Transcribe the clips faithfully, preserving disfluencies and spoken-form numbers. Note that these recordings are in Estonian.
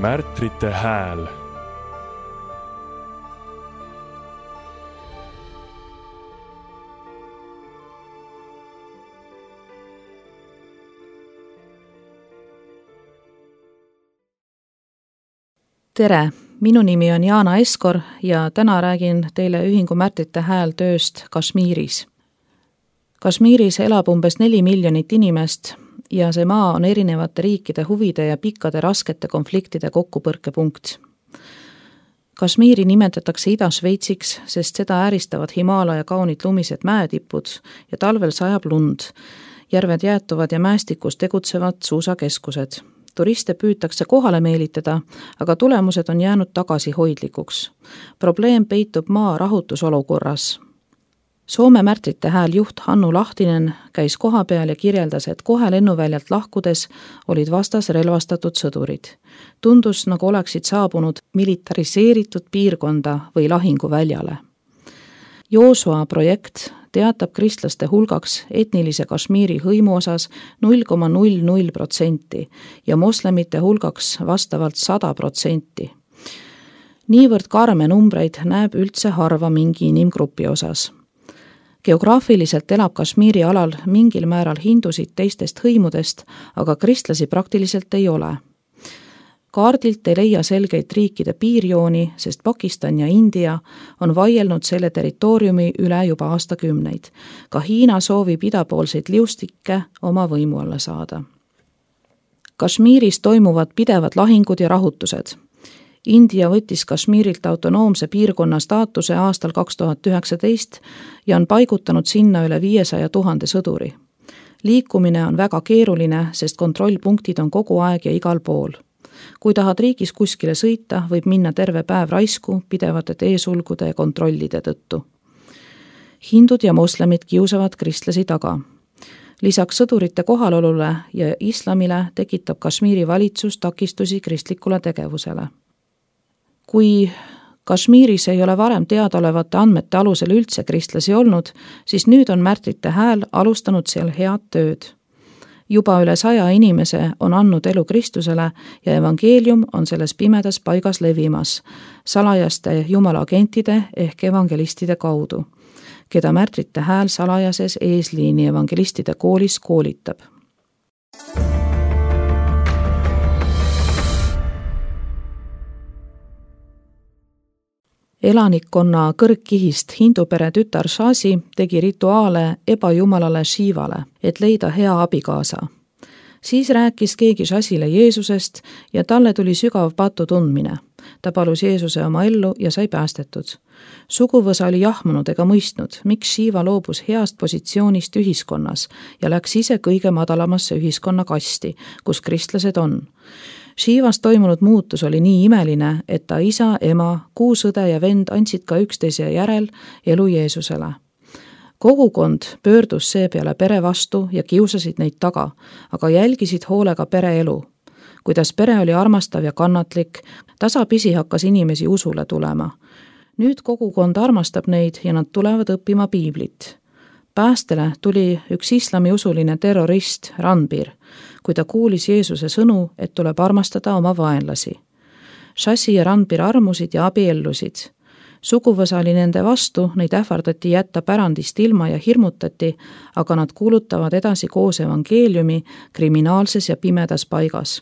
Märtrite hääl. Tere, minu nimi on Jaana Eskor ja täna räägin teile Ühingu Märtrite hääl tööst Kashmiris. Kashmiris elab umbes neli miljonit inimest ja see maa on erinevate riikide huvide ja pikkade raskete konfliktide kokkupõrkepunkt. Kashmiri nimetatakse Ida-Šveitsiks, sest seda ääristavad Himaalaja kaunid lumised mäetipud ja talvel sajab lund. Järved jäätuvad ja mäestikus tegutsevad suusakeskused. Turiste püütakse kohale meelitada, aga tulemused on jäänud tagasihoidlikuks. Probleem peitub maa rahutusolukorras. Soome Märtrite hääl juht Hannu Lahtinen käis koha peal ja kirjeldas, et kohe lennuväljalt lahkudes olid vastas relvastatud sõdurid. Tundus, nagu oleksid saabunud militariseeritud piirkonda või lahinguväljale. Joosua projekt teatab kristlaste hulgaks etnilise Kashmiri hõimu osas null koma null null protsenti ja moslemite hulgaks vastavalt sada protsenti. Niivõrd karme numbreid näeb üldse harva mingi inimgrupi osas. Geograafiliselt elab Kashmiri alal mingil määral hindusid teistest hõimudest, aga kristlasi praktiliselt ei ole. Kaardilt ei leia selgeid riikide piirjooni, sest Pakistan ja India on vaielnud selle territooriumi üle juba aastakümneid. Ka Hiina soovib idapoolseid liustikke oma võimu alla saada. Kashmiris toimuvad pidevad lahingud ja rahutused. India võttis Kashmirilt autonoomse piirkonna staatuse aastal kaks tuhat üheksateist ja on paigutanud sinna üle viiesaja tuhande sõduri. Liikumine on väga keeruline, sest kontrollpunktid on kogu aeg ja igal pool. Kui tahad riigis kuskile sõita, võib minna terve päev raisku pidevate teesulgude ja kontrollide tõttu. Hindud ja moslemid kiusavad kristlasi taga. Lisaks sõdurite kohalolule ja islamile tekitab Kashmiri valitsus takistusi kristlikule tegevusele. Kui Kashmiris ei ole varem teadaolevate andmete alusel üldse kristlasi olnud, siis nüüd on Märtrite hääl alustanud seal head tööd. Juba üle saja inimese on andnud elu Kristusele ja evangeelium on selles pimedas paigas levimas, salajaste jumala agentide ehk evangelistide kaudu, keda Märtrite hääl salajases eesliini evangelistide koolis koolitab. Elanikkonna kõrgkihist hindupere tütar Shasi tegi rituaale ebajumalale Shivale, et leida hea abikaasa. Siis rääkis keegi Shasile Jeesusest ja talle tuli sügav patu tundmine. Ta palus Jeesuse oma ellu ja sai päästetud. Suguvõsa oli jahmunud ega mõistnud, miks Shiva loobus heast positsioonist ühiskonnas ja läks ise kõige madalamasse ühiskonnakasti, kus kristlased on. Shivas toimunud muutus oli nii imeline, et ta isa, ema, kuusõde ja vend andsid ka üksteise järel elu Jeesusele. Kogukond pöördus seepeale pere vastu ja kiusasid neid taga, aga jälgisid hoolega pere elu. Kuidas pere oli armastav ja kannatlik, tasapisi hakkas inimesi usule tulema. Nüüd kogukond armastab neid ja nad tulevad õppima piiblit. Päästele tuli üks islamiusuline terrorist Ranbir, kui ta kuulis Jeesuse sõnu, et tuleb armastada oma vaenlasi. Shasi ja Ranbir armusid ja abiellusid. Suguvõsa oli nende vastu, neid ähvardati jätta pärandist ilma ja hirmutati, aga nad kuulutavad edasi koos evangeeliumi kriminaalses ja pimedas paigas.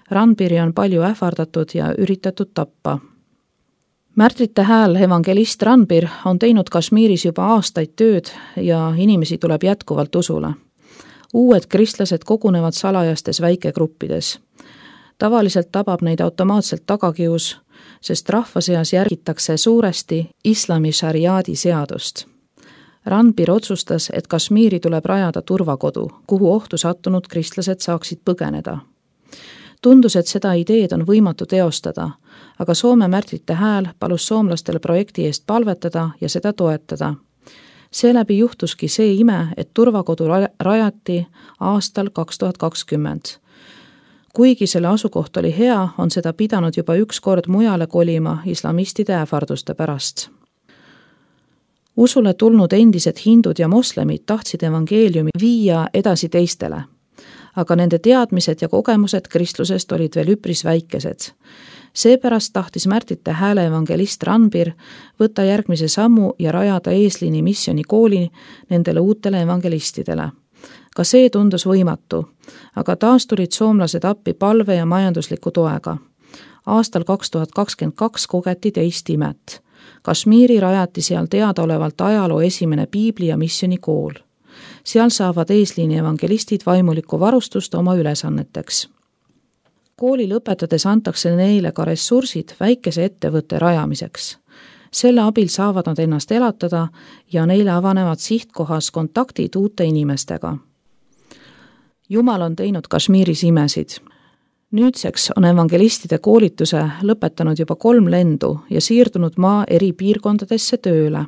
Ranbiri on palju ähvardatud ja üritatud tappa. Märtrite hääl evangelist Ranbir on teinud Kashmiris juba aastaid tööd ja inimesi tuleb jätkuvalt usule. Uued kristlased kogunevad salajastes väikegruppides. Tavaliselt tabab neid automaatselt tagakius, sest rahva seas järgitakse suuresti islami šariaadi seadust. Ranbir otsustas, et Kashmiri tuleb rajada turvakodu, kuhu ohtu sattunud kristlased saaksid põgeneda. Tundus, et seda ideed on võimatu teostada, aga Soome Märtrite hääl palus soomlastel projekti eest palvetada ja seda toetada. Seeläbi juhtuski see ime, et turvakodu rajati aastal kaks tuhat kakskümmend. Kuigi selle asukoht oli hea, on seda pidanud juba üks kord mujale kolima islamistide ähvarduste pärast. Usule tulnud endised hindud ja moslemid tahtsid evangeeliumi viia edasi teistele. aga nende teadmised ja kogemused kristlusest olid veel üpris väikesed. Seepärast tahtis Märtite Hääle evangelist Ranbir võtta järgmise sammu ja rajada eesliini missionikooli nendele uutele evangelistidele. Ka see tundus võimatu, aga taas tulid soomlased appi palve ja majandusliku toega. Aastal kaks tuhat kakskümmend kaks kogeti teist imet. Kashmiri rajati seal teadaolevalt ajaloo esimene piibli- ja missionikool. Seal saavad eesliini evangelistid vaimulikku varustust oma ülesanneteks. Kooli lõpetades antakse neile ka ressursid väikese ettevõtte rajamiseks. Selle abil saavad nad ennast elatada ja neile avanevad sihtkohas kontaktid uute inimestega. Jumal on teinud Kashmiris imesid. Nüüdseks on evangelistide koolituse lõpetanud juba kolm lendu ja siirdunud maa eri piirkondadesse tööle.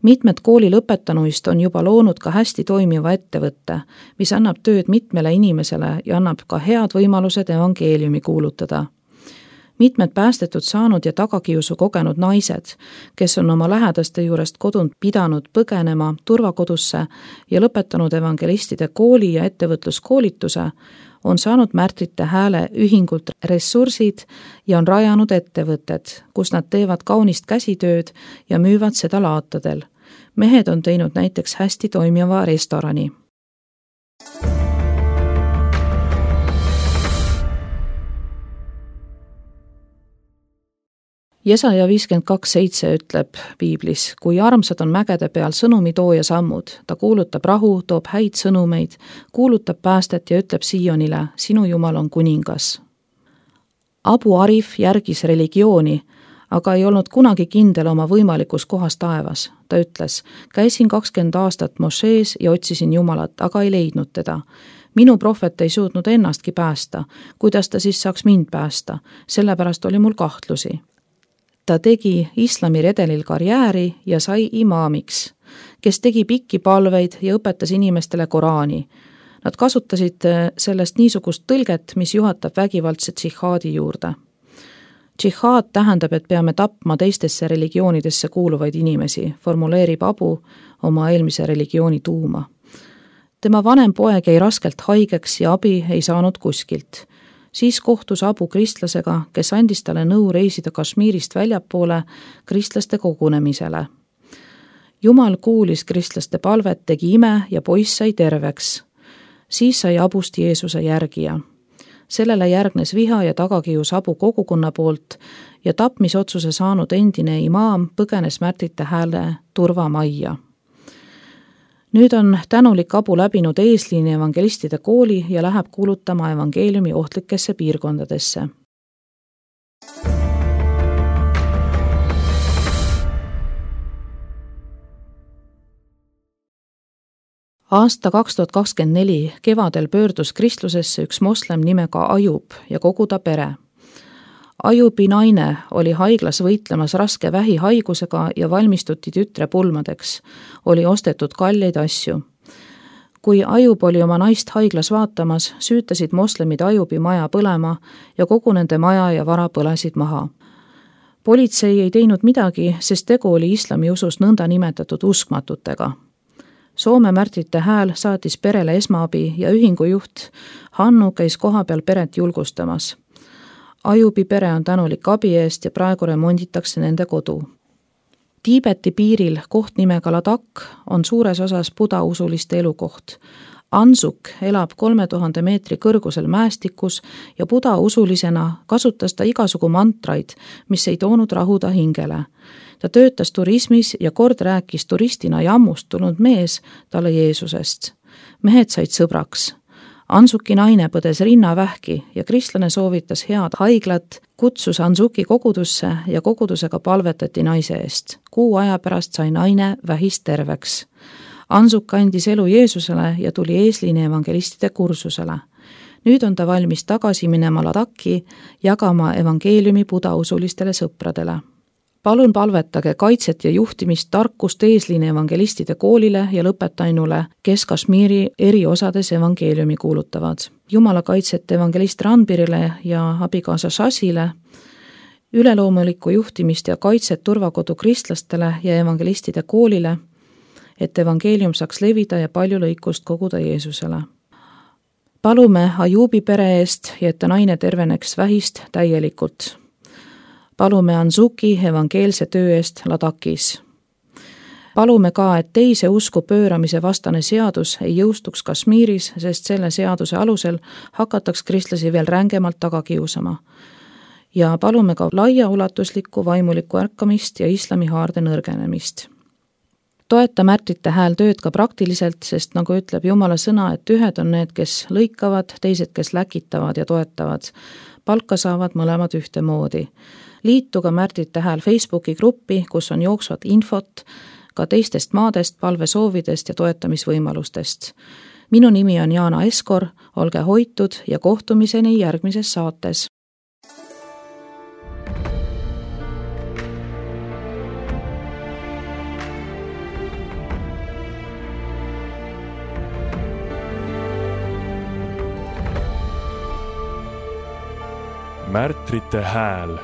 Mitmed kooli lõpetanuist on juba loonud ka hästi toimiva ettevõtte, mis annab tööd mitmele inimesele ja annab ka head võimalused evangeeliumi kuulutada. Mitmed päästetud saanud ja tagakiusu kogenud naised, kes on oma lähedaste juurest kodunt pidanud põgenema turvakodusse ja lõpetanud evangelistide kooli ja ettevõtluskoolituse, on saanud Märtite Hääle ühingult ressursid ja on rajanud ettevõtted, kus nad teevad kaunist käsitööd ja müüvad seda laatadel. Mehed on teinud näiteks hästi toimiva restorani. Jesaja viiskümmend kaks seitse ütleb piiblis, kui armsad on mägede peal sõnumitooja sammud, ta kuulutab rahu, toob häid sõnumeid, kuulutab päästet ja ütleb Siionile, sinu Jumal on kuningas. Abu Arif järgis religiooni, aga ei olnud kunagi kindel oma võimalikus kohas taevas. Ta ütles, käisin kakskümmend aastat mošees ja otsisin Jumalat, aga ei leidnud teda. Minu prohvet ei suutnud ennastki päästa, kuidas ta siis saaks mind päästa, sellepärast oli mul kahtlusi. Ta tegi islami redelil karjääri ja sai imaamiks, kes tegi pikki palveid ja õpetas inimestele Koraani. Nad kasutasid sellest niisugust tõlget, mis juhatab vägivaldse džihaadi juurde. Džihaad tähendab, et peame tapma teistesse religioonidesse kuuluvaid inimesi, formuleerib Abu oma eelmise religiooni tuuma. Tema vanem poeg jäi raskelt haigeks ja abi ei saanud kuskilt. Siis kohtus Abu kristlasega, kes andis talle nõu reisida Kashmirist väljapoole kristlaste kogunemisele. Jumal kuulis kristlaste palvet, tegi ime ja poiss sai terveks. Siis sai Abust Jeesuse järgija. Sellele järgnes viha ja tagakius Abu kogukonna poolt ja tapmisotsuse saanud endine imaam põgenes Märtite Hääle turvamajja. Nüüd on tänulik Abu läbinud eesliini evangelistide kooli ja läheb kuulutama evangeeliumi ohtlikesse piirkondadesse. Aasta kaks tuhat kakskümmend neli kevadel pöördus kristlusesse üks moslem nimega Ajub ja kogu ta pere. Ajubi naine oli haiglas võitlemas raske vähihaigusega ja valmistuti tütre pulmadeks, oli ostetud kalleid asju. Kui Ajub oli oma naist haiglas vaatamas, süütasid moslemid Ajubi maja põlema ja kogu nende maja ja vara põlesid maha. Politsei ei teinud midagi, sest tegu oli islami usus nõnda nimetatud uskmatutega. Soome Märtite Hääl saatis perele esmaabi ja ühingujuht Hannu käis kohapeal peret julgustamas. Ajubi pere on tänulik abi eest ja praegu remonditakse nende kodu. Tiibeti piiril koht nimega Ladakh on suures osas buda usuliste elukoht. Ansuk elab kolme tuhande meetri kõrgusel mäestikus ja buda usulisena kasutas ta igasugu mantraid, mis ei toonud rahuda hingele. Ta töötas turismis ja kord rääkis turistina jammust tulnud mees talle Jeesusest. Mehed said sõbraks. Ansuki naine põdes rinnavähki ja kristlane soovitas head haiglat, kutsus Ansuki kogudusse ja kogudusega palvetati naise eest. Kuu aja pärast sai naine vähist terveks. Ansuk andis elu Jeesusele ja tuli eesliini evangelistide kursusele. Nüüd on ta valmis tagasi minema Ladakhi jagama evangeeliumi buda usulistele sõpradele. Palun palvetage kaitset ja juhtimist tarkust eesliini evangelistide koolile ja lõpetainule, kes Kashmiri eri osades evangeeliumi kuulutavad. Jumala kaitset evangelist Ranbirile ja abikaasa Shasile, üleloomulikku juhtimist ja kaitset turvakodu kristlastele ja evangelistide koolile, et evangeelium saaks levida ja palju lõikust koguda Jeesusele. palume Ajubi pere eest ja et ta naine terveneks vähist täielikult. Palume Anzuki evangeelse töö eest Ladakis. Palume ka, et teise usku pööramise vastane seadus ei jõustuks Kashmiris, sest selle seaduse alusel hakataks kristlasi veel rängemalt taga kiusama. Ja palume ka laiaulatuslikku vaimulikku ärkamist ja islami haarde nõrgenemist. Toeta Märtrite Hääl tööd ka praktiliselt, sest nagu ütleb Jumala sõna, et ühed on need, kes lõikavad, teised, kes läkitavad ja toetavad. Palka saavad mõlemad ühtemoodi. Liituga Märtrite Hääl Facebooki gruppi, kus on jooksvat infot ka teistest maadest, palvesoovidest ja toetamisvõimalustest. Minu nimi on Jaana Eskor, olge hoitud ja kohtumiseni järgmises saates. Märtrite Hääl